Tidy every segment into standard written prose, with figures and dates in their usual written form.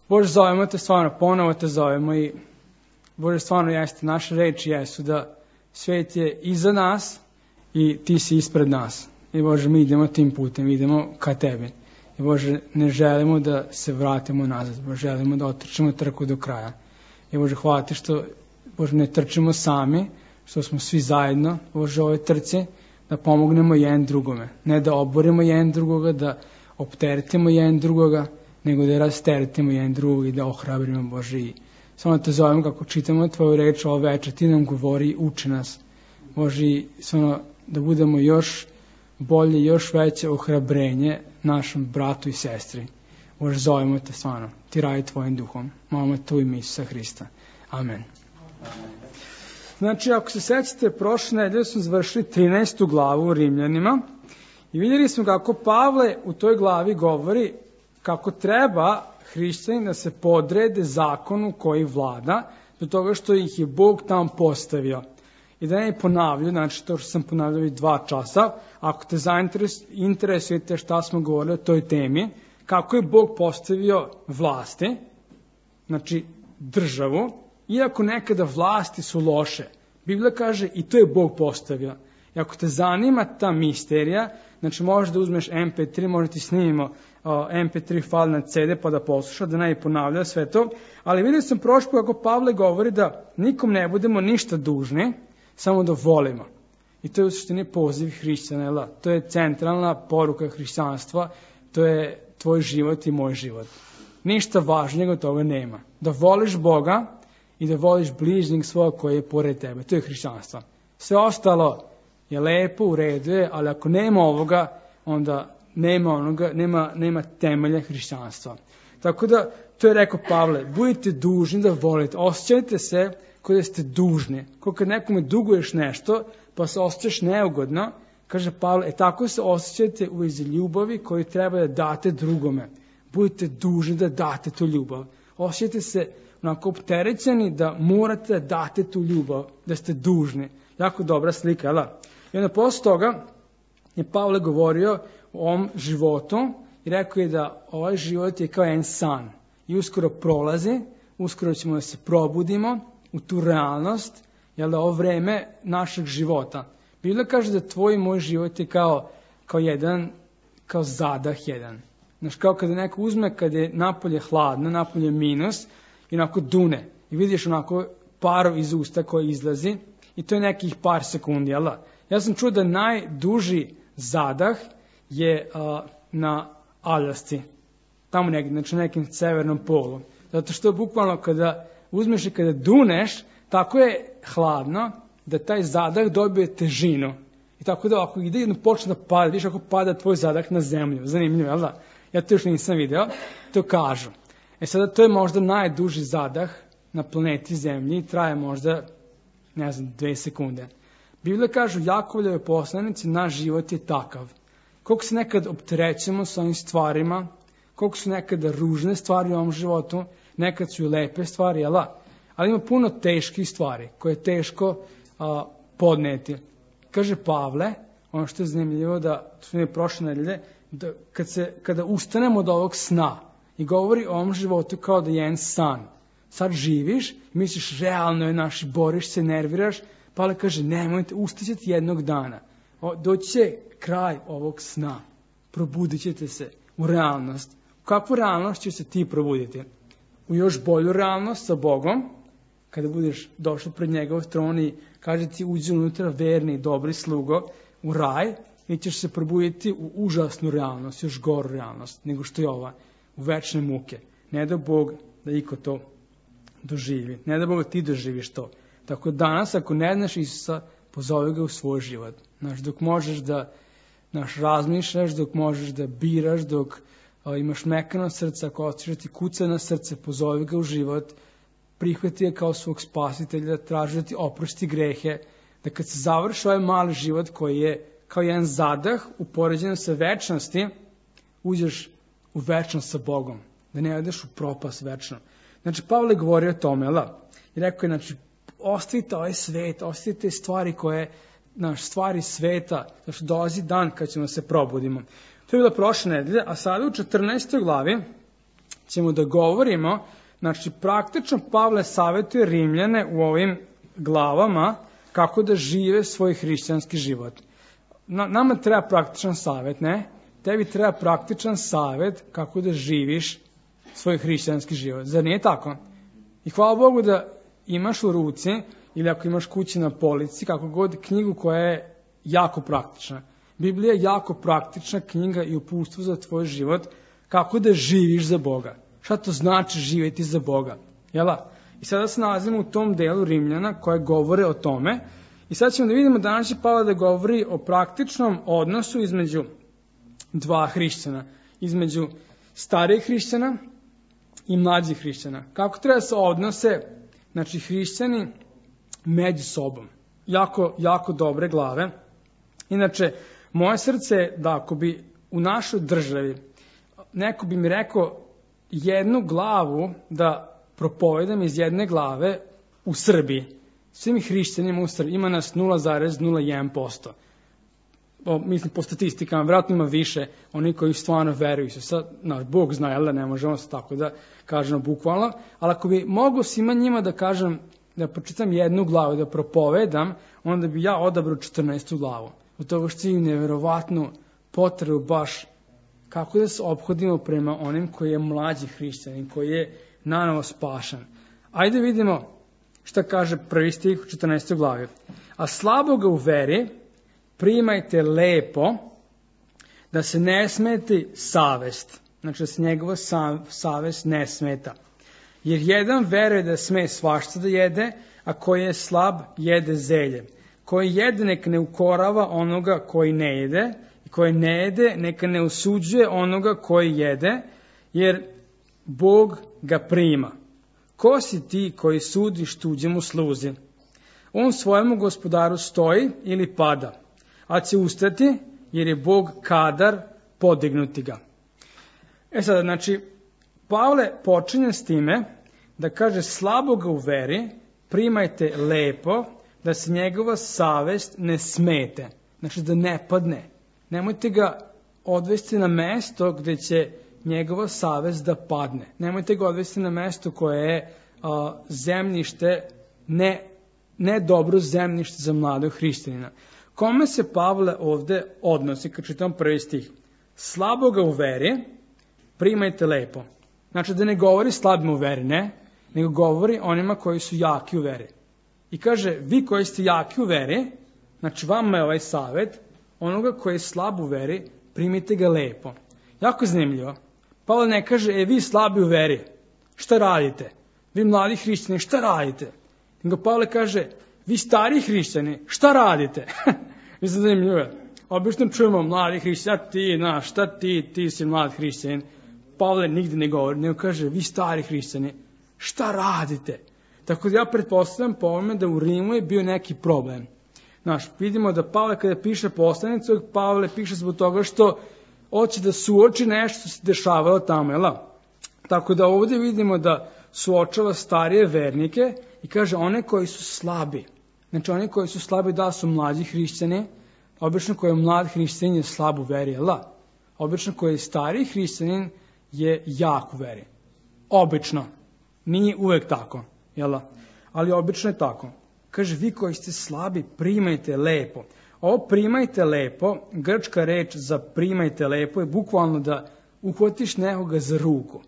Bože, zovemo te stvarno, ponovo te zovemo i Bože, stvarno jeste, naše reči jesu da svet je iza nas i ti si ispred nas. I Bože, mi idemo tim putem, idemo ka tebi. I Bože, ne želimo da se vratimo nazad, Bože, želimo da otrčimo trku do kraja. I Bože, hvala ti što, Bože, ne trčimo sami, što smo svi zajedno, Bože, ove trci, da pomognemo jedan drugome. Ne da oborimo jedan drugoga, da opteretimo jedan drugoga, nego da rasteretimo jedan drugog i da ohrabrimo, Bože. I samo te zovemo kako čitamo tvoju reč ovo večer, ti nam govori, uči nas, Bože, i samo da budemo još bolje, još veće ohrabrenje našem bratu i sestri. Bože, zovemo te stvarno, ti radi tvojim duhom. Molimo te u ime Isusa Hrista. Amen. Znači, ako se sećate, prošle nedelje smo završili 13. glavu u Rimljanima i vidjeli smo kako Pavle u toj glavi govori kako treba hrišćani da se podrede zakonu koji vlada, do toga što ih je Bog tamo postavio. I da ne ponavljaju, znači to što sam ponavljao i 2 časa, ako te interesujete šta smo govorili o toj temi, kako je Bog postavio vlasti, znači državu, iako nekada vlasti su loše. Biblija kaže i to je Bog postavio. I ako te zanima ta misterija, znači možeš da uzmeš MP3, možda ti snimimo MP3 file na CD pa da posluša, da ne ponavlja sve to. Ali vidio sam prošlo kako Pavle govori da nikom ne budemo ništa dužni, samo da volimo. I to je u suštini poziv hrišćana. To je centralna poruka hrišćanstva, to je tvoj život i moj život. Ništa važnijeg od toga nema. Da voliš Boga i da voliš bližnjeg svoga koji je pored tebe. To je hrišćanstvo. Sve ostalo je lepo, u redu je, ali ako nema ovoga, onda nema temelja hrišćanstva. Tako da, to je rekao Pavle, budite dužni da volite, osjećajte se kao da ste dužni. Kao kad nekome duguješ nešto, pa se osjećaš neugodno, kaže Pavle, tako se osjećajte u vezi ljubavi koju treba da date drugome. Budite dužni da date tu ljubav. Osjećajte se onako opterećeni da morate da date tu ljubav, da ste dužni. Jako dobra slika, jel? I onda posle toga je Pavle govorio o ovom životu i rekao je da ovaj život je kao jedan san i uskoro prolazi, uskoro ćemo da se probudimo u tu realnost, jel da, ovo vreme našeg života. Biblia kaže da tvoj i moj život je kao zadah jedan. Znaš, kao kada neko uzme, kada je napolje hladno, napolje minus, i onako dune. I vidiš onako parov iz usta koji izlazi i to je nekih par sekundi, jel da? Ja sam čuo da najduži zadah je na Aljasci. Tamo negdje, znači na nekim severnom polu. Zato što bukvalno kada uzmeš i kada duneš, tako je hladno da taj zadah dobije težinu. I tako da ako ide jedno počne da pada, vidiš ako pada tvoj zadah na zemlju. Zanimljivo, jel da? Ja to još nisam video, to kažu. Sada to je možda najduži zadah na planeti Zemlji i traje možda, 2 sekunde. Biblia kaže u Jakovljevoj poslanici, naš život je takav. Koliko se nekad opterećemo sa ovim stvarima, koliko su nekada ružne stvari u ovom životu, nekad su i lepe stvari, ali ima puno teških stvari koje je teško podneti. Kaže Pavle, ono što je zanimljivo da su mi prošle nedelje, da kada ustanemo od ovog sna i govori o ovom životu kao da je jedan san, sad živiš, misliš realno je naš, boriš se, nerviraš, Pavle kaže nemojte, ustaćete jednog dana, doći će kraj ovog sna, probudit ćete se u realnost. U kakvu realnost će se ti probuditi? U još bolju realnost sa Bogom, kada budeš došao pred njegov tron i kaže ti uđi unutra verni i dobri slugo u raj, i ćeš se probuditi u užasnu realnost, još goru realnost nego što je ova, u večne muke. Ne da Bog da iko to doživi, ne da Bog ti doživiš to. Tako danas, ako ne znaš Isusa, pozovi ga u svoj život. Dok možeš da razmišljaš, dok možeš da biraš, dok imaš mekano srce, ako hoćeš da ti kuca na srce, pozovi ga u život, prihvati ga kao svog spasitelja, traži da ti oprosti grehe, da kad se završi ovaj mali život koji je kao jedan zadah upoređen sa večnosti, uđeš u večnost sa Bogom, da ne odeš u propast večno. Znači, Pavle govori o tome, i rekao je, znači, ostavite ovaj svet, ostavite stvari koje, stvari sveta, znači dolazi dan kad ćemo se probudimo. To je bila prošla nedelja, a sada u 14. glavi ćemo da govorimo, znači praktično Pavle savjetuje Rimljane u ovim glavama kako da žive svoj hrišćanski život. Nama treba praktičan savjet, ne? Tebi treba praktičan savjet kako da živiš svoj hrišćanski život. Zar nije tako? I hvala Bogu da imaš u ruci ili ako imaš kući na polici, kako god, knjigu koja je jako praktična. Biblija je jako praktična knjiga i uputstvo za tvoj život kako da živiš za Boga. Šta to znači živjeti za Boga? Jela? I sada se nalazimo u tom delu Rimljana koje govore o tome. I sad ćemo da vidimo danas će Pavle da govori o praktičnom odnosu između dva hrišćana. Između starijih hrišćana i mlađih hrišćana. Kako treba se odnose, znači, hrišćani među sobom. Jako dobre glave. Inače, moje srce je da ako bi u našoj državi neko bi mi rekao jednu glavu da propovedam iz jedne glave u Srbiji. Svim hrišćanima u Srbiji ima nas 0,01%. Mislim, po statistikama, vjerojatno ima više oni koji stvarno veruju se. Sad, Bog zna, jel da ne možemo se tako da kažemo bukvalno, ali ako bi mogo svima njima da kažem, da pročitam jednu glavu, da propovedam, onda bi ja odabrao 14. glavu. Od toga što imam neverovatnu potrebu baš kako da se ophodimo prema onim koji je mlađi hrišćanin, koji je nanovo spašan. Ajde vidimo šta kaže prvi stih u 14. glavi. A slaboga u veri primajte lepo, da se ne smeti savest. Znači da se njegova savest ne smeta. Jer jedan veruje da sme svašta da jede, a koji je slab jede zelje. Koji jede neka ne ukorava onoga koji ne jede, i koji ne jede neka ne osuđuje onoga koji jede, jer Bog ga prima. Ko si ti koji sudiš tuđemu sluzi? On svojemu gospodaru stoji ili pada, a će ustati jer je Bog kadar podignuti ga. Sada, znači, Pavle počinje s time da kaže slaboga u veri primajte lepo, da se njegova savest ne smete. Znači da ne padne. Nemojte ga odvesti na mesto gde će njegova savest da padne. Nemojte ga odvesti na mesto koje je zemljište, ne dobro zemljište za mladog hrišćanina. Kome se Pavle ovde odnosi, kad čitam prvi stih? Slaboga u veri primajte lepo. Znači da ne govori slabim u veri, ne, nego govori onima koji su jaki u veri. I kaže, vi koji ste jaki u veri, znači vama je ovaj savjet, onoga koji je slab u veri, primite ga lepo. Jako zanimljivo. Pavle ne kaže, vi slabi u veri, šta radite? Vi mladi hrišćani, šta radite? Nego Pavle kaže, vi stari hrišćani, šta radite? Mislim, zanimljivo. Obično čujemo mladi hrišćani, šta ti si mlad hrišćanin. Pavle nigde ne govori, nego kaže, vi stari hrišćani, šta radite? Tako da ja pretpostavljam po ovome da u Rimu je bio neki problem. Vidimo da Pavle kada piše poslanicu, Pavle piše zbog toga što hoće da suoči nešto što se dešavalo tamo, jel? Tako da ovdje vidimo da suočava starije vernike i kaže one koji su slabi. Znači oni koji su slabi da su mlađi hrišćani, obično koji je mlad hrišćanin je slab u veri, jel? Obično koji je stariji hrišćanin je jak u veri. Obično. Nije uvek tako, jel? Ali obično je tako. Kaže, vi koji ste slabi, primajte lepo. Ovo primajte lepo, grčka reč za primajte lepo je bukvalno da uhvatiš nekoga za ruku.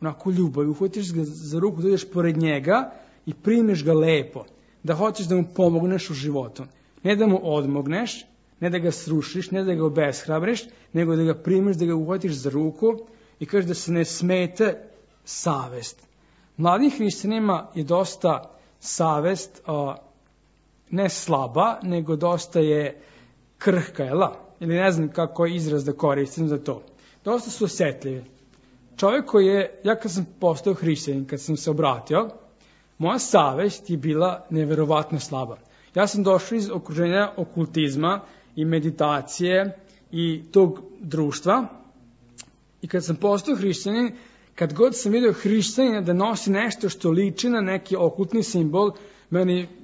Onako ljubav, uhvatiš ga za ruku, dođeš pored njega i primiš ga lepo. Da hoćeš da mu pomogneš u životu. Ne da mu odmogneš, ne da ga srušiš, ne da ga obeshrabriš, nego da ga primiš, da ga uhvatiš za ruku i kažeš da se ne smete savest. Mladim hrišćanima je dosta savest ne slaba, nego dosta je krhka, ili ne znam kako je izraz da koristim za to. Dosta su osjetljivi. Čovjek koji je, ja kad sam postao hrišćanin, kad sam se obratio, moja savest je bila neverovatno slaba. Ja sam došao iz okruženja okultizma i meditacije i tog društva i kad sam postao hrišćanin, kad god sam vidio hrišćanina da nosi nešto što liči na neki okultni simbol,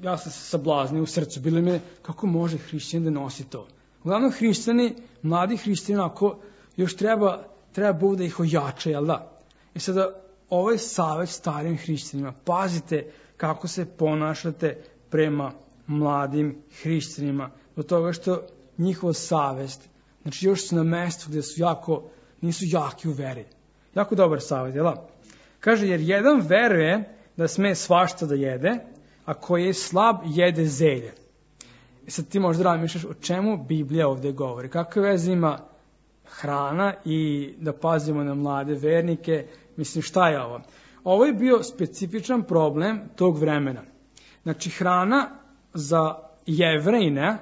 ja sam se sablaznio u srcu. Bilo mi je, kako može hrišćanin da nosi to? Uglavnom hrišćani, mladi hrišćani, ako još treba Bog da ih ojača, jel da? I sada ovaj savjet starim hrišćanima, pazite kako se ponašate prema mladim hrišćanima, do toga što njihova savest, znači još su na mestu gde su nisu jaki u veri. Jako dobar savjet, jel? Kaže, jer jedan veruje da sme svašta da jede, a koji je slab jede zelje. I sad ti možda razmišljaš o čemu Biblija ovdje govori. Kakve veze ima hrana i da pazimo na mlade vernike? Mislim, šta je ovo? Ovo je bio specifičan problem tog vremena. Znači, hrana za Jevrejina,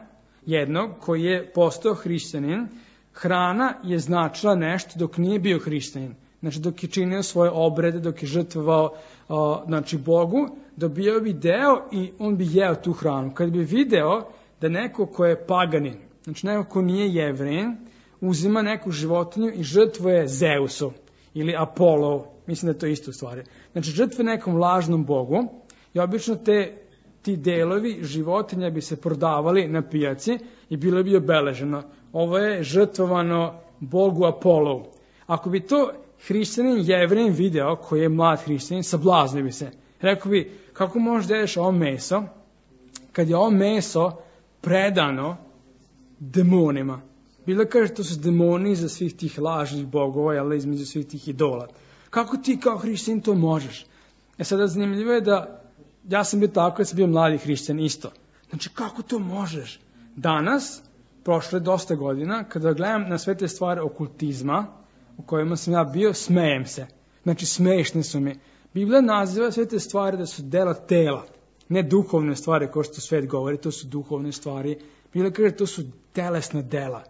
jednog koji je postao hrišćanin, hrana je značila nešto dok nije bio hrišćanin. Znači, dok je činio svoje obrede, dok je žrtvovao Bogu, dobio bi deo i on bi jeo tu hranu. Kad bi video da neko ko je paganin, znači neko ko nije Jevrejin, uzima neku životinju i žrtvuje Zeusu ili Apollo, mislim da je to isto u stvari. Znači, žrtve nekom lažnom bogu i obično ti delovi životinja bi se prodavali na pijaci i bilo bi obeleženo. Ovo je žrtvovano bogu Apollo. Ako bi to hrišćanin Jevrejin video, koji je mlad hrišćanin, sablaznio bi se. Rekao bi, kako možeš da jedeš ovo meso, kad je ovo meso predano demonima. Bilo kaže, to su demoni za svih tih lažnih bogova, ali između svih tih idola. Kako ti kao hrišćanin to možeš? Sada zanimljivo je da ja sam bio tako kad sam bio mladi hrišćan isto. Znači, kako to možeš? Danas, prošlo je dosta godina, kada gledam na sve te stvari okultizma, u kojima sam ja bio, smejem se. Znači, smešne su mi. Biblija naziva sve te stvari da su dela tela, ne duhovne stvari, kao što svet govori, to su duhovne stvari. Biblija kaže, to su telesna dela,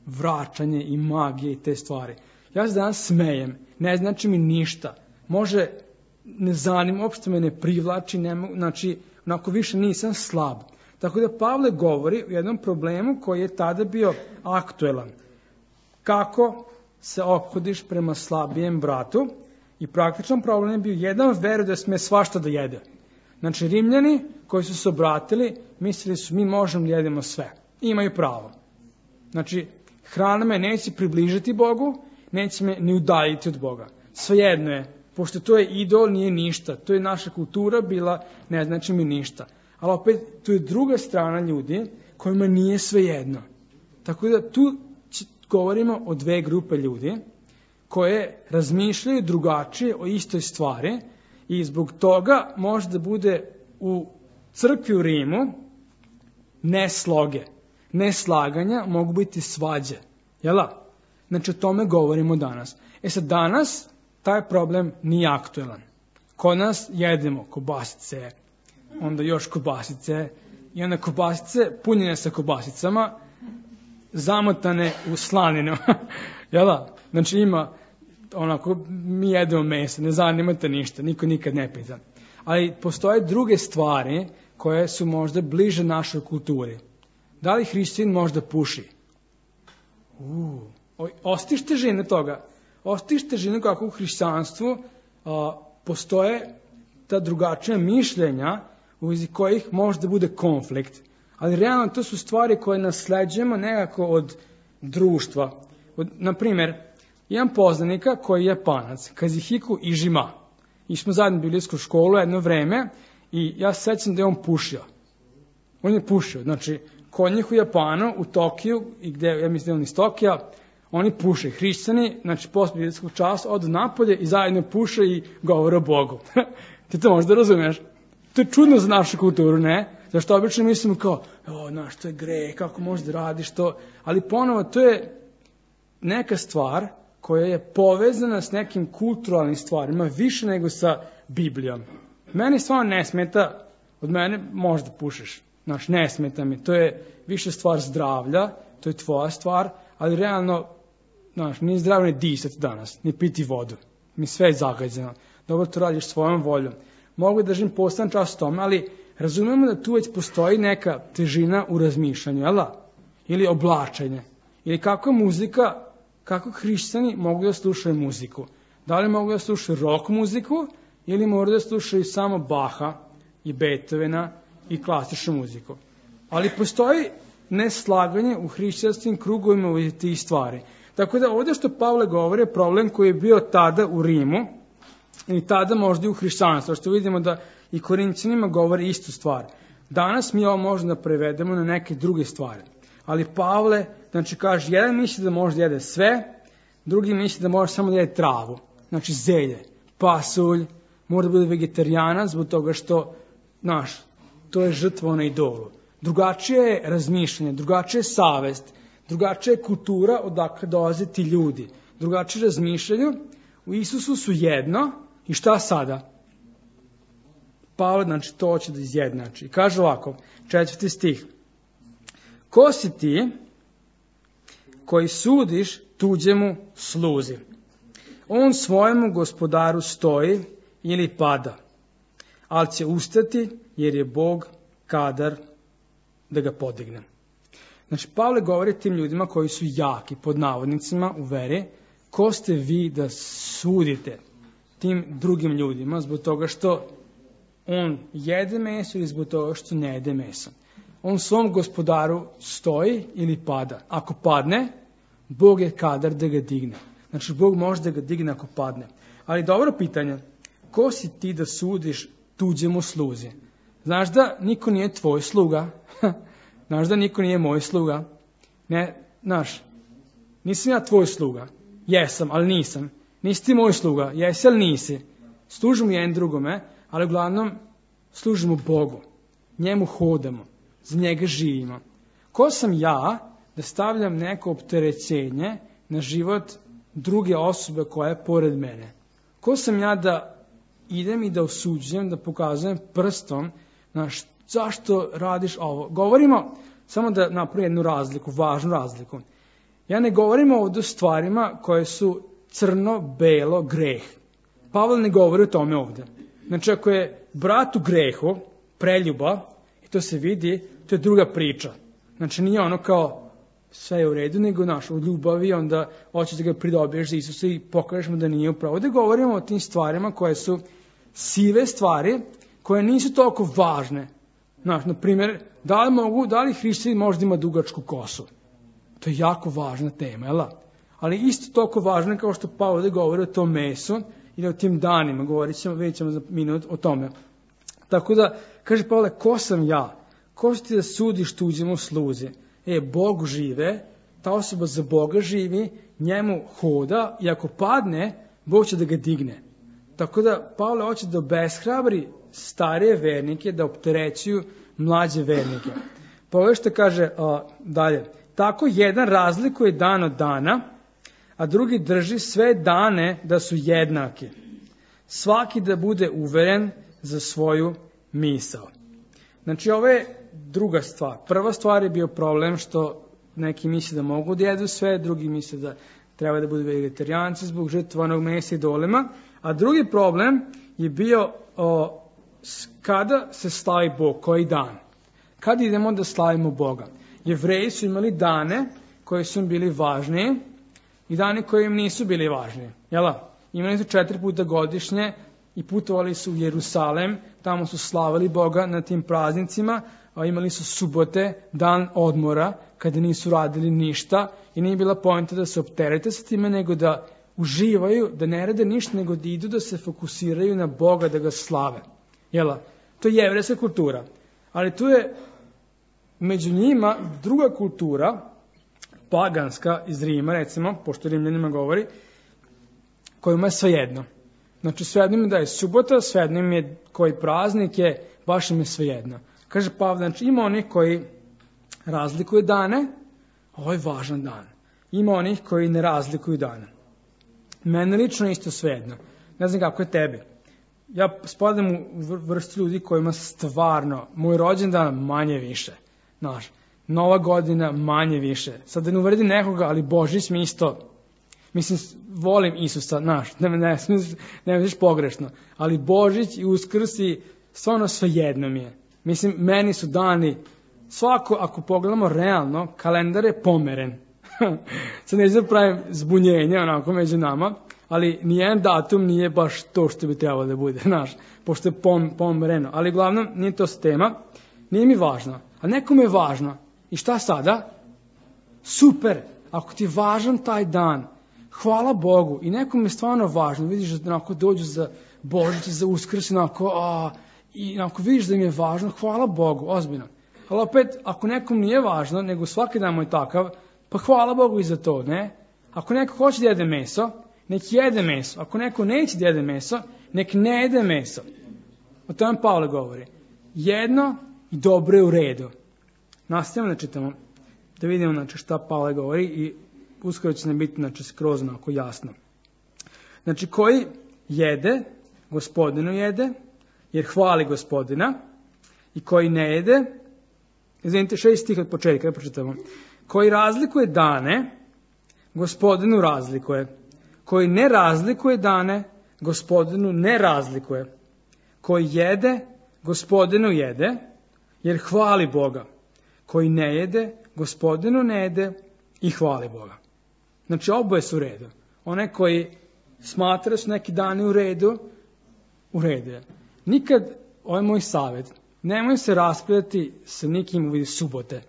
vraćanje i magije i te stvari. Ja se danas smejem, ne znači mi ništa. Može, ne zanima, uopšte me ne privlači, znači, onako više nisam slab. Tako da Pavle govori o jednom problemu koji je tada bio aktuelan. Kako se ophodiš prema slabijem bratu? I praktičan problem je bio jedan veruje da sme svašta da jede. Znači, Rimljani koji su se obratili, mislili su mi možemo da jedemo sve. I imaju pravo. Znači, hrana me neće približiti Bogu, neće me ni udaljiti od Boga. Svejedno je, pošto to je idol, nije ništa. To je naša kultura bila, ne znači mi ništa. Ali opet, tu je druga strana ljudi kojima nije svejedno. Tako da tu govorimo o dve grupe ljudi koje razmišljaju drugačije o istoj stvari i zbog toga može da bude u crkvi u Rimu nesloge. Neslaganja mogu biti svađe. Jela? Znači, o tome govorimo danas. Sad, danas taj problem nije aktuelan. Kod nas jedemo kobasice, onda još kobasice i onda kobasice punjene sa kobasicama, zamotane u slaninu. Jela? Znači, ima onako, mi jedemo meso, ne zanimate ništa, niko nikad ne pita. Ali postoje druge stvari koje su možda bliže našoj kulturi. Da li hrišćanin možda puši? Ostiš težine toga. Ostiš težine kako u hrišćanstvu postoje ta drugačija mišljenja u vezi kojih možda bude konflikt. Ali realno to su stvari koje nasleđujemo nekako od društva. Naprimjer, imam poznanika koji je Japanac, Kazuhiko Ižima. I smo zajedno bili u školu jedno vreme i ja se sećam da je on pušio. On je pušio, znači, kod njih u Japanu, u Tokiju, i gde, ja mislim da je on iz Tokija, oni puše, hrišćani, znači, posle biblijskog časa, odu napolje i zajedno puše i govore o Bogu. Ti to možda razumeš? To je čudno za našu kulturu, ne? Zašto obično mislimo kao, znaš, to je greh, kako možeš da radiš to? Ali ponovo, to je neka stvar koja je povezana s nekim kulturalnim stvarima, više nego sa Biblijom. Meni stvarno ne smeta, od mene možda pušiš, znaš, ne smeta mi, to je više stvar zdravlja, to je tvoja stvar, ali realno, znaš, nije zdravno ni disati danas, ni piti vodu, mi sve je zagađeno, dobro to radiš svojom voljom. Mogu da držim postan čas o tome, ali razumemo da tu već postoji neka težina u razmišljanju, jel da? Ili oblačenje, ili kako muzika, kako hrišćani mogu da slušaju muziku. Da li mogu da slušaju rock muziku ili moraju da slušaju samo Baha i Beethovena i klasičnu muziku. Ali postoji neslaganje u hrišćanskim krugovima u tih stvari. Tako da ovdje što Pavle govori je problem koji je bio tada u Rimu, ili tada možda i u hrišćanstvu, što vidimo da i Korinćanima govori istu stvar. Danas mi ovo možemo da prevedemo na neke druge stvari. Ali Pavle, znači kaže, jedan misli da može da jede sve, drugi misli da može samo da jede travu. Znači zelje, pasulj, mora da bude vegetarijanac zbog toga što, to je žrtva na idolu. Drugačije je razmišljanje, drugačije je savest, drugačija je kultura odakle dolaze ti ljudi. Drugačije razmišljaju, u Isusu su jedno i šta sada? Pavle, znači, to hoće da izjednači. Kaže ovako, 4. stih. Ko si ti koji sudiš tuđemu sluzi? On svojemu gospodaru stoji ili pada, ali će ustati jer je Bog kadar da ga podigne. Znači, Pavle govori tim ljudima koji su jaki, pod navodnicima, u veri, ko ste vi da sudite tim drugim ljudima zbog toga što on jede meso ili zbog toga što ne jede meso. On svom gospodaru stoji ili pada. Ako padne, Bog je kadar da ga digne. Znači, Bog može da ga digne ako padne. Ali dobro pitanje, ko si ti da sudiš tuđemu sluzi? Znaš da niko nije tvoj sluga? Znaš da niko nije moj sluga? Ne, nisam ja tvoj sluga. Jesam, ali nisam. Nisi ti moj sluga. Jesi, ali nisi. Služimo jedan drugome, ali uglavnom služimo Bogu. Njemu hodamo. Za njega živimo. Ko sam ja da stavljam neko opterećenje na život druge osobe koja je pored mene? Ko sam ja da idem i da osuđujem, da pokazujem prstom zašto radiš ovo? Govorimo, samo da napravim jednu razliku, važnu razliku. Ja ne govorim ovdje o stvarima koje su crno-belo greh. Pavle ne govori o tome ovdje. Znači, ako je brat u grehu, preljuba, i to se vidi, to je druga priča. Znači, nije ono kao sve je u redu, nego u ljubavi, onda hoćeš da ga pridobiješ za Isusa i pokažeš mu da nije upravo. Ovdje govorimo o tim stvarima koje su sive stvari, koje nisu toliko važne. Na primjer, da li hrišćanin možda ima dugačku kosu? To je jako važna tema, jel? Ali isto toliko važna kao što Pavle ovdje govori o tom mesu ili o tim danima, vidjet ćemo za minut o tome. Tako da, kaže Pavle, ko sam ja? Ko si ti da sudiš tuđemu sluzi? Bog žive, ta osoba za Boga živi, njemu hoda i ako padne, Bog će da ga digne. Tako da Pavle hoće da obeshrabri starije vernike, da opterećuju mlađe vernike. Pogledaj što kaže dalje. Tako jedan razlikuje dan od dana, a drugi drži sve dane da su jednaki. Svaki da bude uveren za svoju misao. Znači, ovo je druga stvar. Prva stvar je bio problem što neki misle da mogu da jedu sve, drugi misle da treba da budu vegetarijanci zbog žrtvovanog mesa idolima, a drugi problem je bio kada se slavi Bog, koji dan. Kad idemo da slavimo Boga? Jevreji su imali dane koji su im bili važniji i dane koji im nisu bili važniji. Jela? Imali su 4 puta godišnje i putovali su u Jerusalem, tamo su slavili Boga na tim praznicima, a imali su subote, dan odmora, kada nisu radili ništa i nije bila poenta da se opterete sa time, nego da uživaju, da ne rade ništa, nego da idu da se fokusiraju na Boga, da ga slave. Jela? To je jevrejska kultura. Ali tu je među njima druga kultura, paganska iz Rima, recimo, pošto Rimljanima govori, kojima je svejedno. Znači, svejedno im da je subota, svejedno im je koji praznik je, baš im je svejedno. Kaže Pavle, znači ima onih koji razlikuju dane, ovo je važan dan. Ima onih koji ne razlikuju dane. Mene lično isto svejedno. Ne znam kako je tebi. Ja spadam u vrstu ljudi kojima stvarno, moj rođendan manje više. Nova godina manje više. Sad da ne uvredim nekoga, ali Božić mi isto, volim Isusa, ne misliš pogrešno, ali Božić i Uskrs i stvarno svejedno mi je. Meni su dani, svako, ako pogledamo realno, kalendar je pomeren. Sad ne znam pravim zbunjenje onako među nama, ali nijedan datum nije baš to što bi trebalo da bude, pošto je pomereno. Ali uglavnom nije to tema, nije mi važno, a nekom je važno. I šta sada? Super, ako ti je važan taj dan, hvala Bogu. I nekom je stvarno važno, vidiš da onako dođu za Božić, za Uskrs, i onako vidiš da im je važno, hvala Bogu, ozbiljno. Ali opet, ako nekom nije važno, nego svaki dan mu je takav, pa hvala Bogu i za to, ne? Ako neko hoće da jede meso, nek jede meso. Ako neko neće da jede meso, nek ne jede meso. O tome Pavle govori. Jedno i dobro je u redu. Nastavljamo da čitamo, da vidimo šta Pavle govori i uskoro će nam biti skroz onako jasno. Znači, koji jede, Gospodinu jede, jer hvali Gospodina, i koji ne jede, izvinite, 6 stih od početka, pročitamo. Koji razlikuje dane, Gospodinu razlikuje. Koji ne razlikuje dane, Gospodinu ne razlikuje. Koji jede, Gospodinu jede, jer hvali Boga. Koji ne jede, Gospodinu ne jede i hvali Boga. Znači, oboje su u redu. One koji smatra su neki dani u redu je. Nikad, ovo je moj savjet, nemoj se raspravljati sa nikim u vidu subote.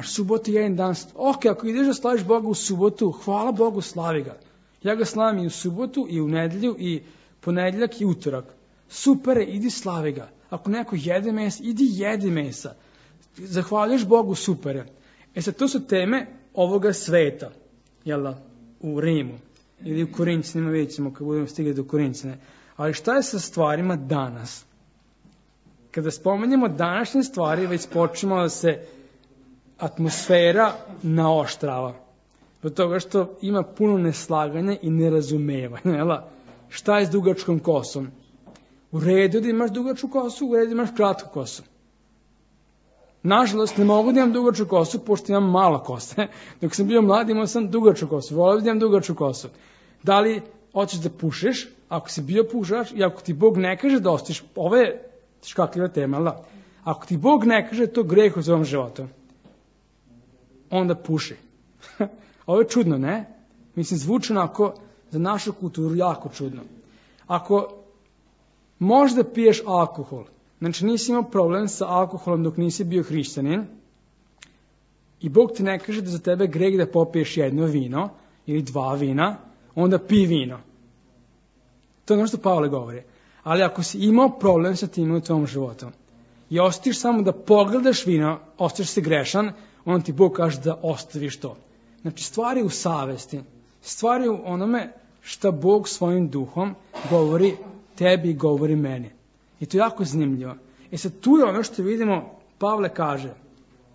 Subota je jedan dan, ok, ako ideš da slaviš Boga u subotu, hvala Bogu, slavi ga. Ja ga slavim i u subotu, i u nedelju, i ponedjeljak, i utorak. Super je, idi slavi ga. Ako neko jede mesa, idi jedi mesa. Zahvaljuješ Bogu, super je. Sad, to su teme ovoga sveta, jel da, u Rimu, ili u Korinćanima, vidjet ćemo kad budemo stigli do Korinćana. Ali šta je sa stvarima danas? Kada spomenemo današnje stvari, već počnemo da se atmosfera naoštrava. Od toga što ima puno neslaganja i nerazumevanja. Jel? Šta je s dugačkom kosom? U redu da imaš dugačku kosu, u redu da imaš kratku kosu. Nažalost, ne mogu da imam dugačku kosu, pošto imam mala kosa. Dok sam bio mlad, imao sam dugačku kosu. Volio da imam dugačku kosu. Da li hoćeš da pušeš, ako si bio pušač, i ako ti Bog ne kaže da ostaviš, ovo je škakljiva tema, ali da? Ako ti Bog ne kaže to greh u svom životu, onda puši. Ovo je čudno, ne? Mislim, zvuči onako za našu kulturu jako čudno. Ako možda piješ alkohol, znači nisi imao problem sa alkoholom dok nisi bio hrišćanin, i Bog ti ne kaže da za tebe greh da popiješ jedno vino ili 2 vina, onda pi vino. To je ono što Pavle govori. Ali ako si imao problem sa tim u tvom životu i ostaviš samo da pogledaš vino, ostaviš se grešan, onda ti Bog kaže da ostaviš to. Znači, stvari u savesti, stvari u onome šta Bog svojim duhom govori tebi i govori meni. I to je jako zanimljivo. Sad, tu je ono što vidimo, Pavle kaže,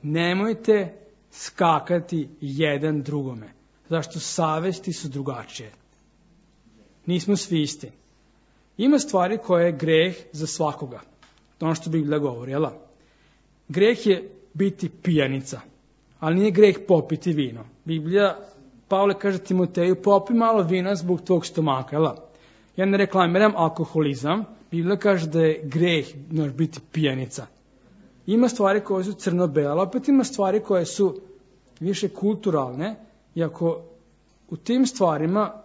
nemojte skakati jedan drugome, zašto savesti su drugačije. Nismo svi isti. Ima stvari koje je greh za svakoga. To je ono što Biblija govori, jel? Greh je biti pijanica, ali nije greh popiti vino. Biblija, Pavle kaže Timoteju, popi malo vina zbog tvog stomaka, jel? Ja ne reklamiram alkoholizam, Biblija kaže da je greh biti pijanica. Ima stvari koje su crno-bele, ali opet ima stvari koje su više kulturalne, i ako u tim stvarima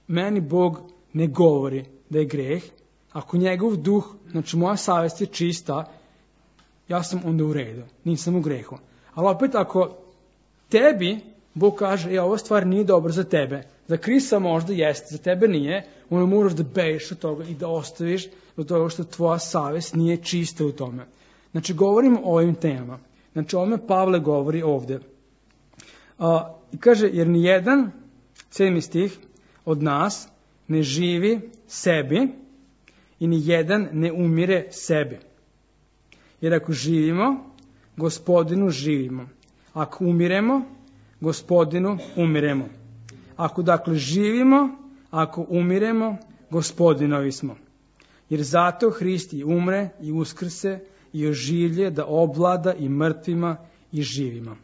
meni Bog ne govori da je greh, ako njegov duh, znači moja savjest je čista, ja sam onda u redu, nisam u grehu. Ali opet ako tebi Bog kaže, ova stvar nije dobra za tebe, za Krista možda jeste, za tebe nije, onda moraš da bežiš od toga i da ostaviš od toga što tvoja savjest nije čista u tome. Znači, govorimo o ovim temama. Znači, o ovome Pavle govori ovdje. I kaže, jer ni jedan, 7. stih, od nas ne živi sebi i ni jedan ne umire sebi. Jer ako živimo, Gospodinu živimo. Ako umiremo, Gospodinu umiremo. Ako dakle živimo, ako umiremo, Gospodinovi smo. Jer zato Hrist i umre i uskrse i oživlje da ovlada i mrtvima i živima.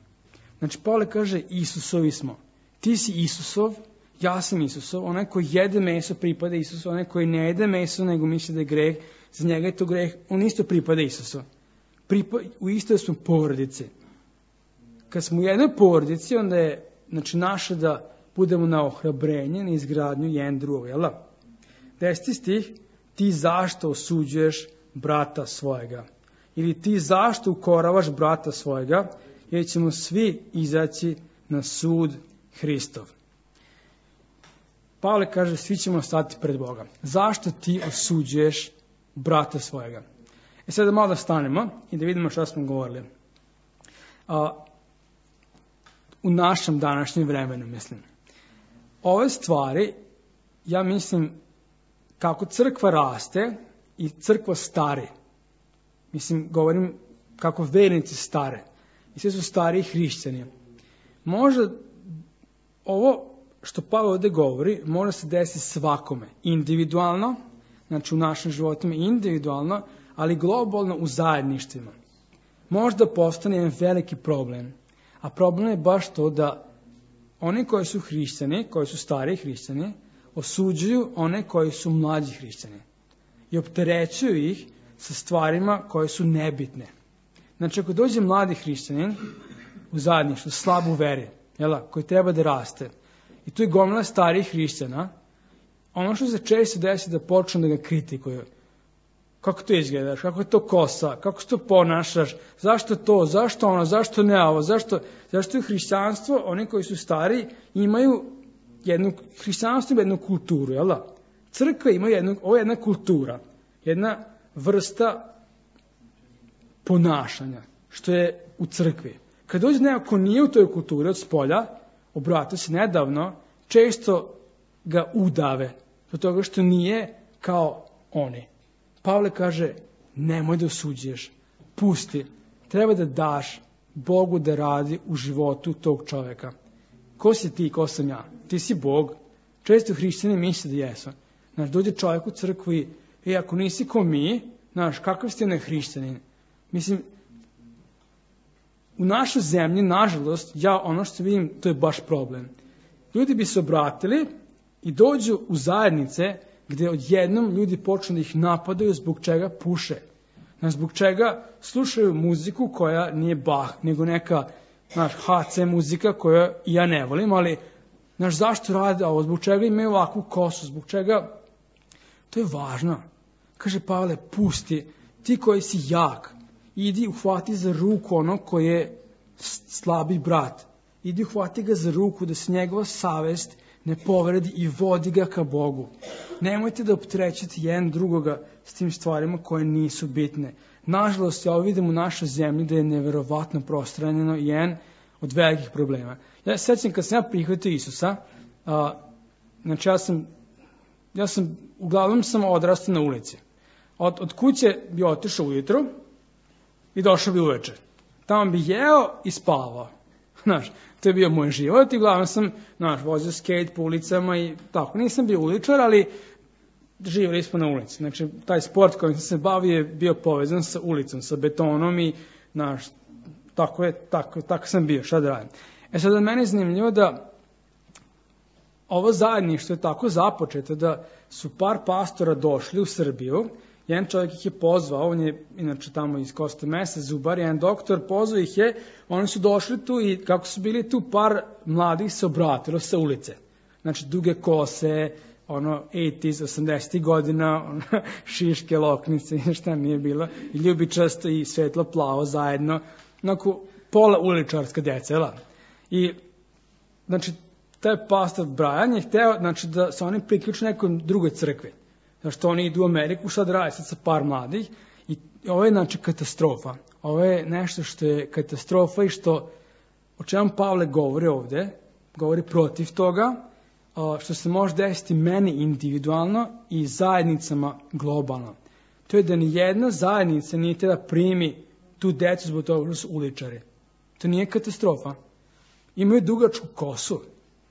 Znači, Pavle kaže, Isusovi smo. Ti si Isusov, ja sam Isusov, onaj koji jede meso pripada Isusu, onaj koji ne jede meso nego misli da je greh, za njega je to greh, on isto pripada Isusu. U istoj smo porodici. Kad smo u jednoj porodici, onda je naše da budemo na ohrabrenje, na izgradnju jedan drugog, jel da? 10. stih, ti zašto osuđuješ brata svojega? Ili ti zašto ukoravaš brata svojega? Jer ćemo svi izaći na sud Hristov. Pavle kaže, svi ćemo stati pred Boga. Zašto ti osuđuješ brata svojega? Sada malo da stanemo i da vidimo šta smo govorili. U našem današnjem vremenu, mislim. Ove stvari, ja mislim, kako crkva raste i crkva stari. Mislim, govorim kako vernici stare. I sve su stariji hrišćani. Možda ovo što Pavle ovdje govori, može se desiti svakome. Individualno, znači u našim životima individualno, ali globalno u zajedništvima. Možda postane jedan veliki problem. A problem je baš to da oni koji su hrišćani, koji su stariji hrišćani, osuđuju one koji su mlađi hrišćani. I opterećuju ih sa stvarima koje su nebitne. Znači, ako dođe mladi hrišćanin u zajedništvu, slab u veri, koji treba da raste, i tu je gomila starih hrišćana, ono što se često desi da počnu da ga kritikuju. Kako to izgledaš, kako je to kosa, kako se to ponašaš, zašto to, zašto ono, zašto ne ovo, zašto je hrišćanstvo, oni koji su stari, imaju hrišćanstvo jednu kulturu, Crkva ima ovo je jedna kultura, jedna vrsta ponašanja, što je u crkvi. Kad dođe neko ko nije u toj kulturi od spolja, obratio se nedavno, često ga udave, zbog toga što nije kao oni. Pavle kaže, nemoj da osuđuješ, pusti, treba da daš Bogu da radi u životu tog čoveka. Ko si ti, ko sam ja? Ti si Bog. Često hrišćani misle da jesu. Znaš, dođe čovjek u crkvu i ako nisi ko mi, znaš, kakav ste ne hrišćanin? Mislim, u našoj zemlji, nažalost, ono što vidim, to je baš problem. Ljudi bi se obratili i dođu u zajednice gdje odjednom ljudi počnu da ih napadaju zbog čega puše. Zbog čega slušaju muziku koja nije Bach, nego neka HC muzika koju ja ne volim, ali zašto rade ovo, zbog čega imaju ovakvu kosu, zbog čega, to je važno. Kaže Pavle, pusti, ti koji si jak, idi uhvati za ruku ono koji je slabi brat. Idi uhvati ga za ruku da se njegova savest ne povredi i vodi ga ka Bogu. Nemojte da opterećete jedan drugoga s tim stvarima koje nisu bitne. Nažalost, ja vidim u našoj zemlji da je neverovatno prostranjeno jedan od velikih problema. Ja se sjećam kad sam ja prihvatio Isusa, znači uglavnom sam odrastao na ulici. Od kuće bi otišao ujutru i došao bi uveče. Tamo bi jeo i spavao. To je bio moj život i uglavnom sam vozio skate po ulicama i tako. Nisam bio uličar, ali živjeli smo na ulici. Znači, taj sport kojim sam se bavio je bio povezan sa ulicom, sa betonom i tako sam bio, šta da radim. Sada meni je zanimljivo da ovo zajedništvo je tako započeto da su par pastora došli u Srbiju. Jedan čovjek ih je pozvao, on je inače tamo iz Kosta Mesa, zubar, jedan doktor, pozvao ih je, oni su došli tu i kako su bili tu, par mladih se obratilo sa ulice. Znači, duge kose, 80 godina, šiške, loknice, šta nije bilo, i ljubičasto i svetlo plavo zajedno, pola uličarska djeca, I, znači, taj pastor Brian je hteo, da se oni priključe nekoj drugoj crkvi. Zašto oni idu u Ameriku, šta da radi sad sa par mladih. I ovo je, katastrofa. Ovo je nešto što je katastrofa i o čemu Pavle govori ovdje, govori protiv toga, što se može desiti meni individualno i zajednicama globalno. To je da nijedna zajednica nije da primi tu decu zbog toga što su uličari. To nije katastrofa. Imaju dugačku kosu.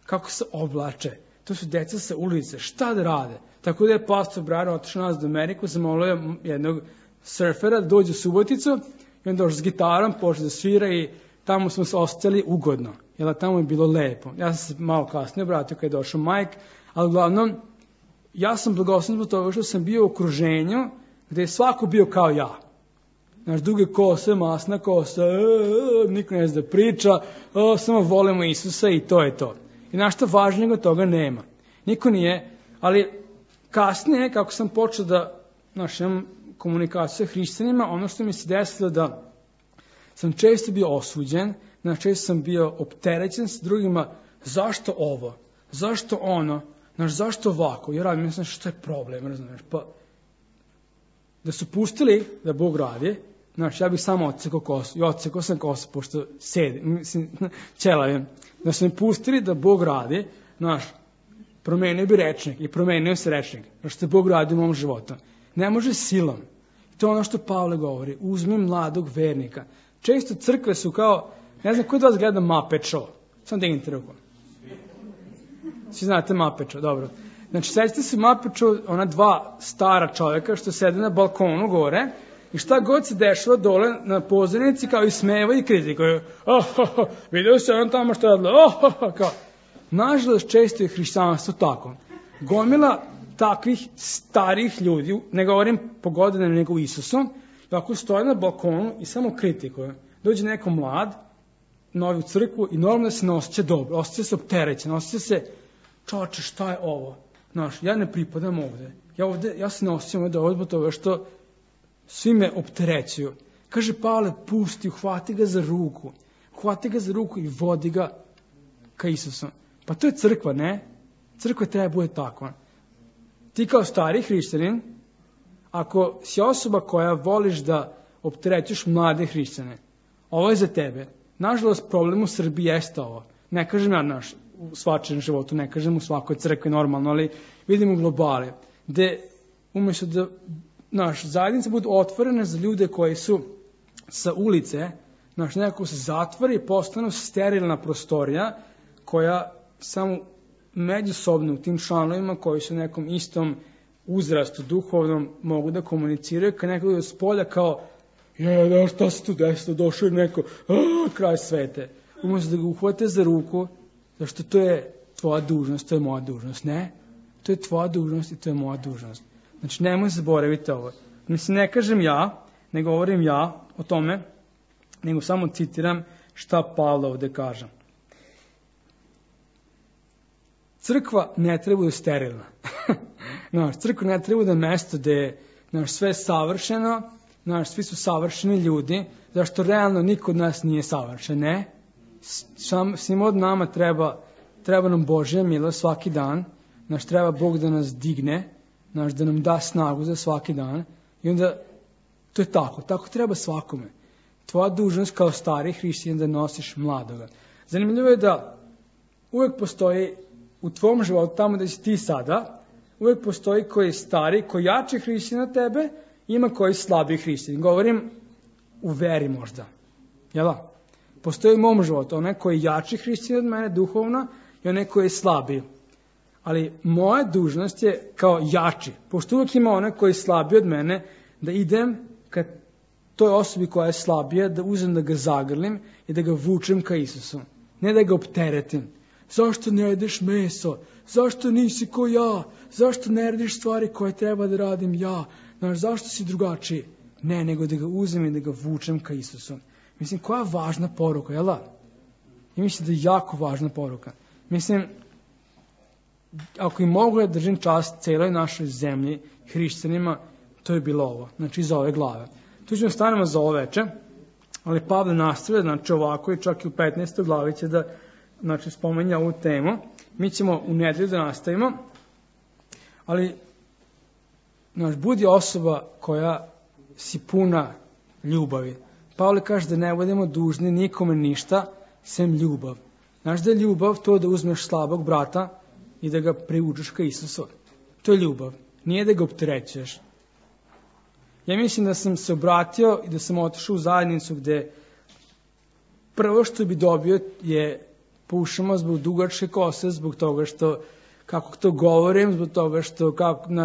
Kako se oblače. To su deca sa ulice. Šta da rade? Tako da je pastor Brian otišao nas do Ameriku, zamolio jednog surfera da dođe u Suboticu i on došao s gitarom, počeo da svira i tamo smo se ostali ugodno. Jer tamo je bilo lepo. Ja sam se malo kasnije obratio kad je došao Mike, ali uglavnom ja sam blagosloven zbog toga što sam bio u okruženju gdje je svako bio kao ja. Duge kose, masna kosa, niko ne zna da priča, samo volimo Isusa i to je to. I nešto važnijeg od toga nema. Niko nije, ali kasnije, kako sam počeo da imam komunikaciju sa hrišćanima, ono što mi se desilo da sam često bio osuđen, često sam bio opterećen s drugima, zašto ovo, zašto ono, Znaš, zašto ovako? Jer radim, mislim, što je problem, razumiješ? Pa, da su pustili da Bog radi, znaš, ja bih samo odsekao kosu. I odsekao sam kosu, pošto mislim, ćelavim. Da su mi pustili da Bog radi, znaš, promenio bi rečnik i promenio se rečnik. Znaš, što je Bog radi u mom životu. Ne može silom. To je ono što Pavle govori. Uzmi mladog vernika. Često crkve su kao, ne znam, ko od vas gleda Muppet Show? Samo dignite ruku. Svi znate Muppet Show, dobro. Znači, sećate se Muppet Show, ona dva stara čovjeka što sede na balkonu gore i šta god se dešava dole na pozornici kao i smeva i kritikuju. Vidio se on tamo što je radilo. Kao. Nažalost, često je hrišćanstvo tako. Gomila takvih starih ljudi, ne govorim po godinama nego Isusom, tako stoje na balkonu i samo kritikuju. Dođe neko mlad, novi u crkvu i normalno se ne osjeća dobro, osjeća se opterećen, osjeća se, čoče, šta je ovo? Znaš, ja ne pripadam ovde. Ja se ne osjećam ovde zbog toga što svi me opterećuju. Kaže Pavle, pusti, uhvati ga za ruku. Uhvati ga za ruku i vodi ga ka Isusu. Pa to je crkva, ne? Crkva treba bude takva. Ti kao stari hrišćanin, ako si osoba koja voliš da opterećuješ mlade hrišćane, ovo je za tebe. Nažalost, problem u Srbiji jeste ovo. Ne kažem ja u svačem životu, ne kažem u svakoj crkvi normalno, ali vidim u globali, gde umjesto da zajednica budu otvorene za ljude koji su sa ulice, nekako se zatvori i postanu sterilna prostorija koja samo međusobno u tim članovima koji su u nekom istom uzrastu duhovnom mogu da komuniciraju, kad neko od spolja kao šta se tu desilo, došao je neko, kraj svete. Umjesto da ga uhvate za ruku, zašto to je tvoja dužnost, to je moja dužnost. Ne, to je tvoja dužnost i to je moja dužnost. Znači, nemoj zaboraviti ovo. Mislim, ne kažem ja, ne govorim ja o tome, nego samo citiram šta Pavle ovde kaže. Crkva ne treba da je sterilna. Crkva ne treba da je mesto gde je sve savršeno, svi su savršeni ljudi, zašto realno niko od nas nije savršen, ne? Svim od nama treba nam Božja milost svaki dan, treba Bog da nas digne, da nam da snagu za svaki dan i onda to je tako treba svakome. Tvoja dužnost kao stari hrišćanin da nosiš mladoga. Zanimljivo je da uvek postoji u tvom životu, tamo da si ti sada, uvek postoji koji je stari, koji jači hrišćanin od tebe, ima koji slabiji hrišćanin. Govorim u veri možda. Jel da? Postoji u mom životu onaj koji je jači hrišćanin od mene duhovno i onaj koji je slabiji. Ali moja dužnost je kao jači, pošto uvijek ima onaj koji je slabiji od mene, da idem ka toj osobi koja je slabija, da uzem da ga zagrlim i da ga vučem ka Isusu. Ne da ga opteretim. Zašto ne jedeš meso? Zašto nisi ko ja? Zašto ne radiš stvari koje treba da radim ja? Zašto si drugačiji? Ne, nego da ga uzem i da ga vučem ka Isusu. Mislim, koja važna poruka, jel da? I mislim da je jako važna poruka. Mislim, ako i mogu da držim čast celoj našoj zemlji, hrišćanima, to je bilo ovo. Znači, iza ove glave. Tu ćemo stanemo za ovo veče, ali Pavle nastavlja, ovako i čak i u 15. glavi će da spomenja ovu temu. Mi ćemo u nedelju da nastavimo, ali budi osoba koja si puna ljubavi. Pavle kaže da ne budemo dužni nikome ništa, sem ljubav. Znaš da je ljubav to da uzmeš slabog brata i da ga privučeš ka Isusu. To je ljubav. Nije da ga opterećuješ. Ja mislim da sam se obratio i da sam otišao u zajednicu gde prvo što bi dobio je pušamo zbog dugačke kose, zbog toga što, kako to govorim, zbog toga što,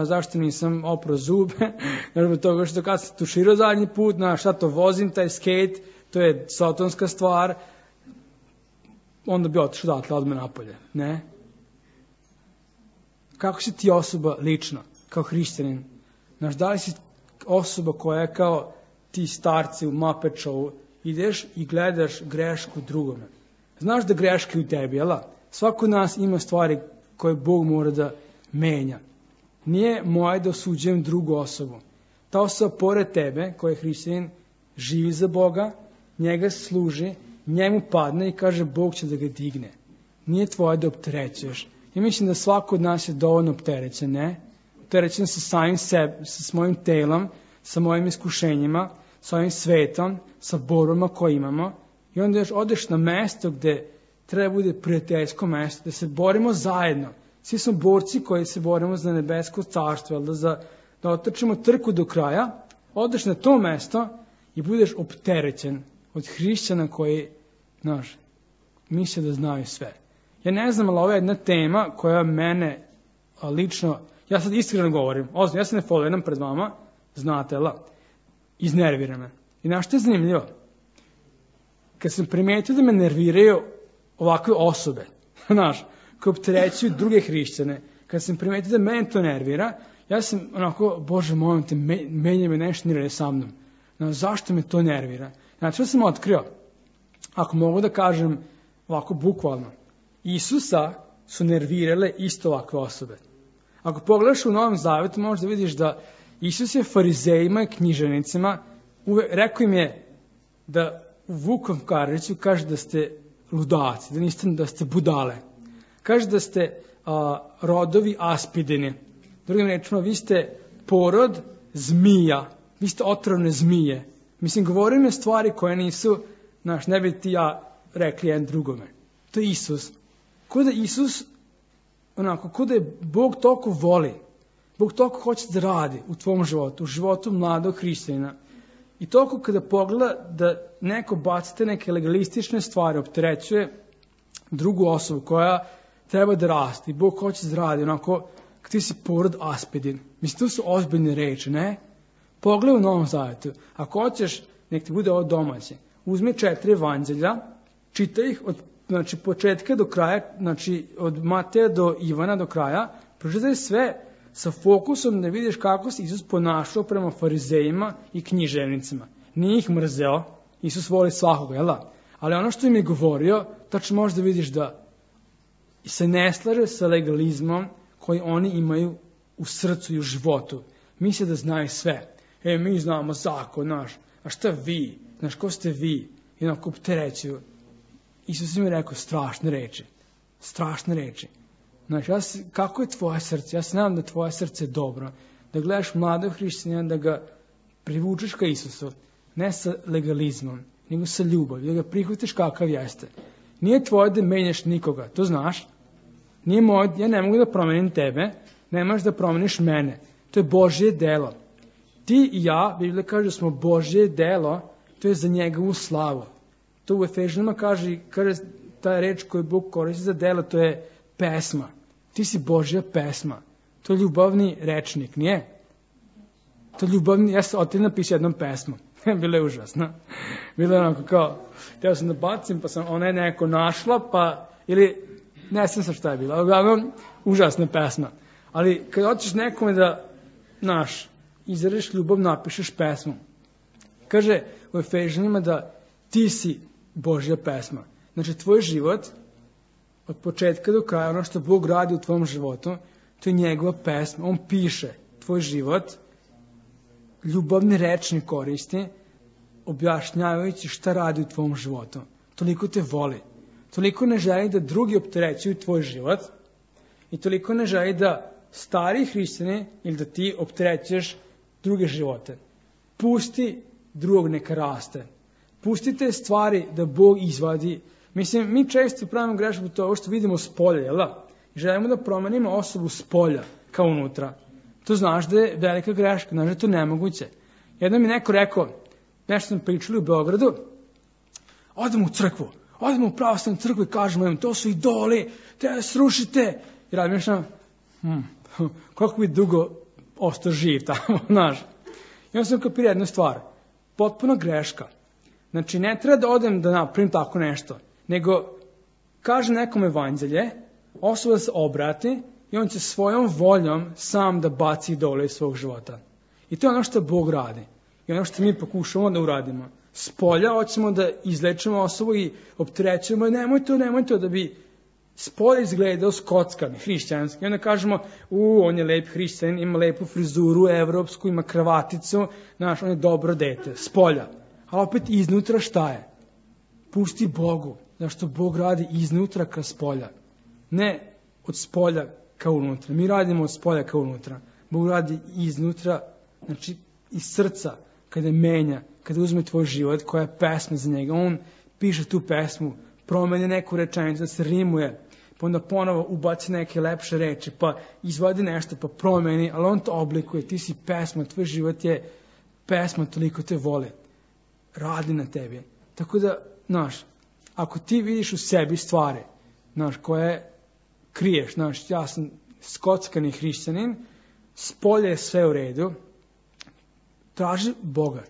zašto nisam oprao zube, zbog toga što kad sam tuširao zadnji put, šta to vozim, taj skate, to je sotonska stvar, onda bi otišao odatle odmah napolje, ne? Kako si ti osoba lično, kao hrišćanin? Da li si osoba koja je kao ti starci u Muppet Showu, ideš i gledaš grešku drugome. Znaš da greške u tebi, jel? Svako od nas ima stvari koje Bog mora da menja. Nije moje da osuđujem drugu osobu. Ta osoba pored tebe, koja je hrišćanin, živi za Boga, njega služi, njemu padne i kaže Bog će da ga digne. Nije tvoje da opterećuješ. Ja mislim da svako od nas je dovoljno opterećen, ne? Opterećen sa samim sebom, sa svojim telom, sa mojim iskušenjima, sa ovim svetom, sa borbama koje imamo. I onda još odeš na mesto gde treba bude prijateljsko mesto, da se borimo zajedno. Svi smo borci koji se borimo za nebesko carstvo, da otrčimo trku do kraja, odeš na to mesto i budeš opterećen od hrišćana koji, misle da znaju sve. Ja ne znam, ali ovo je jedna tema koja mene lično, ja sad iskreno govorim, ja se ne foliram pred vama, znate, iznervira me. I znaš što je zanimljivo? Kad sam primetio da me nerviraju ovakve osobe, koje opterećuju druge hrišćane, kad sam primetio da mene to nervira, ja sam Bože molim te, menja me nešto nervira sa mnom. Zašto me to nervira? Znači, što sam otkrio? Ako mogu da kažem ovako bukvalno, Isusa su nervirale isto ovakve osobe. Ako pogledaš u Novom Zavetu, možeš da vidiš da Isus je farizejima i književnicima rekao im je da u Vukom Karadžiću kaže da ste ludaci, da ste budale. Kaže da ste rodovi aspidini. Drugim rečima, vi ste porod zmija, vi ste otrovne zmije. Mislim, govorim je stvari koje nisu, ne bi ti ja rekli jedan drugome. To je Isus. Ko da Isus, ko da je Bog toliko voli, Bog toliko hoće da radi u tvom životu, u životu mladog hrišćanina. I toliko kada pogleda da neko bacite neke legalistične stvari, opterećuje drugu osobu koja treba da raste. I Bog hoće da radi, ti si porod aspidin. Mislim, to su ozbiljne reči, ne? Pogledaj u Novom Zavetu. Ako hoćeš, nek ti bude ovo domaće. Uzmi 4 evanđelja, čitaj ih od početka do kraja, od Mateja do Ivana do kraja, pročitaj sve sa fokusom da vidiš kako se Isus ponašao prema farizejima i književnicima. Nije ih mrzeo, Isus voli svakoga, jel da? Ali ono što im je govorio, tačno možeš da vidiš da se ne slaže sa legalizmom koji oni imaju u srcu i u životu. Misle da znaju sve. Mi znamo zakon naš, a šta vi? Ko ste vi? I onako opterećuju. Isus im je rekao strašne reči. Strašne reči. Kako je tvoje srce? Ja se nadam da tvoje srce je dobro. Da gledaš mladog hrišćanina, da ga privučeš ka Isusu. Ne sa legalizmom, nego sa ljubavlju. Da ga prihvatiš kakav jeste. Nije tvoje da menjaš nikoga, to znaš. Nije moje, ja ne mogu da promenim tebe, ne možeš da promeniš mene. To je Božje delo. Ti i ja, Biblija kaže da smo Božje delo, to je za njegovu slavu. To u Efežanima kaže ta reč koju Bog koristi za delo, to je pesma. Ti si Božja pesma. To je ljubavni rečnik, nije? To je ljubavni, ja sam otim napisao jednom pesmu. Bilo je užasno. Bilo je onako kao, teo sam da bacim, pa sam ona je neko našla, ili ne znam sa šta je bilo. Uglavnom, užasna pesma. Ali kad hoćeš nekome da, izradiš ljubav, napišeš pesmu. Kaže u Efežanima da ti si Božja pesma. Znači, tvoj život, od početka do kraja, ono što Bog radi u tvom životu, to je njegova pesma. On piše tvoj život, ljubavni rečnik koristi, objašnjavajući šta radi u tvom životu. Toliko te voli. Toliko ne želi da drugi opterećuju tvoj život i toliko ne želi da stari hrišćani ili da ti opterećuješ druge živote. Pusti drugog neka raste. Pustite stvari da Bog izvadi. Mislim, mi često pravimo grešku to što vidimo s polja, jel da? I želimo da promenimo osobu s polja kao unutra. To znaš da je velika greška, znaš da je to nemoguće. Jednom mi neko rekao, nešto sam pričali u Beogradu, odemo u crkvu, odemo u pravoslavnu crkvu i kažemo im, to su idoli, treba srušite. I razmišljam, koliko bi dugo ostao živ tamo, znaš. I onda sam kapirao jednu stvar, potpuno greška. Znači, ne treba da odem da napravim tako nešto, nego kaže nekom evanđelje, osoba da se obrati i on će svojom voljom sam da baci idole iz svog života. I to je ono što Bog radi. I ono što mi pokušamo da uradimo. S polja hoćemo da izlečimo osobu i opterećujemo i nemoj to da bi s polja izgledao skockan, hrišćanski. I onda kažemo, on je lep hrišćanin, ima lepu frizuru, evropsku, ima kravaticu, on je dobro dete, s polja. A opet iznutra šta je? Pusti Bogu, zašto Bog radi iznutra ka s polja. Ne od spolja ka unutra. Mi radimo od spolja ka unutra. Bog radi iznutra, znači iz srca, kada menja, kada uzme tvoj život, koja je pesma za njega. On piše tu pesmu, promeni neku rečenicu, da se rimuje, pa onda ponovo ubaci neke lepše reči, pa izvodi nešto, pa promeni, ali on to oblikuje, ti si pesma, tvoj život je pesma, toliko te vole. Radi na tebi. Tako da, znaš, ako ti vidiš u sebi stvari, znaš, koje kriješ, znaš, ja sam skockani hrišćanin, spolje je sve u redu,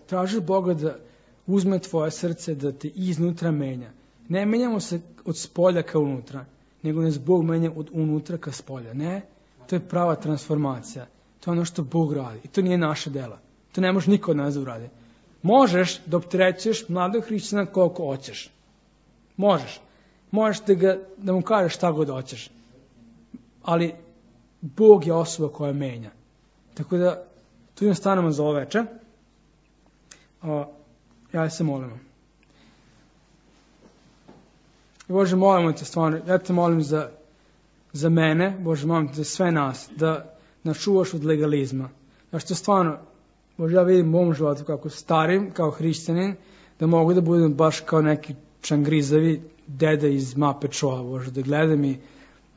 traži Boga da uzme tvoje srce, da te iznutra menja. Ne menjamo se od spolja ka unutra, nego nas Bog menja od unutra ka spolja. Ne, to je prava transformacija. To je ono što Bog radi. I to nije naše dela. To ne može niko od nas da uradi. Možeš da opterećuješ mladog hrišćana koliko hoćeš. Možeš. Možeš da mu kažeš šta god hoćeš. Ali Bog je osoba koja menja. Tako da, tu im stanemo za ovo večer. Ja se molimo. Bože, molimo te stvarno, ja te molim za mene, Bože, molim te za sve nas, da nas čuvaš od legalizma. Znaš, to stvarno, Bože, ja vidim u mom životu kako starim, kao hrišćanin, da mogu da budem baš kao neki čangrizavi deda iz Muppet Showa, Bože, da gledam i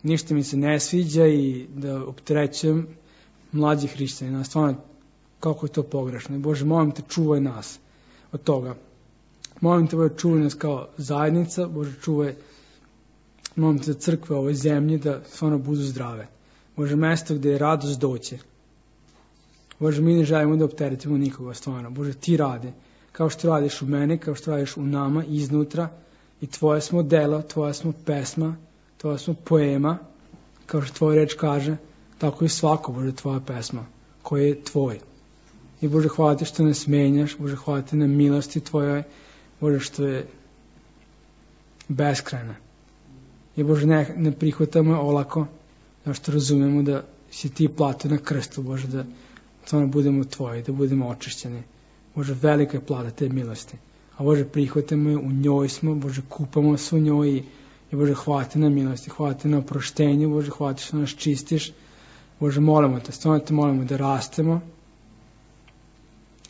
ništa mi se ne sviđa i da opterećujem mlađi hrišćanina. Stvarno, kako je to pogrešno. Bože, molim te, čuvaj nas od toga. Molim te, Bože, čuvaj nas kao zajednica, Bože, čuvaj, molim te za crkve ovoj zemlji da stvarno budu zdrave. Bože, mesto gde je radost doće. Bože, mi ne želimo da opteretimo nikoga, stvarno. Bože, ti radi, kao što radiš u meni, kao što radiš u nama, iznutra, i tvoje smo delo, tvoja smo pesma, tvoja smo poema, kao što tvoj reč kaže, tako i svako, Bože, tvoja pesma, koja je tvoj. I Bože, hvala ti što nas menjaš, Bože, hvala ti na milosti tvojoj, Bože, što je beskrajna. I Bože, ne prihvatamo olako, zato što razumemo da si ti platio na krstu, Bože, da stvarno budemo tvoji, da budemo očišćeni. Bože, velika je plata te milosti. A Bože, prihvatamo je, u njoj smo, Bože, kupamo se u njoj i Bože, hvala ti na milosti, hvala ti na oproštenju, Bože, hvala ti što nas čistiš. Bože, molimo te, stvarno te molimo da rastemo.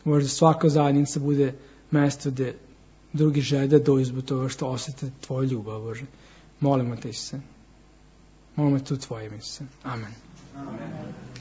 Bože, da svaka zajednica bude mesto gde drugi žele da dođu zbog toga što osjete tvoju ljubav, Bože. Molimo te, Isuse. Molimo te u tvojim, Isuse. Amen. Amen.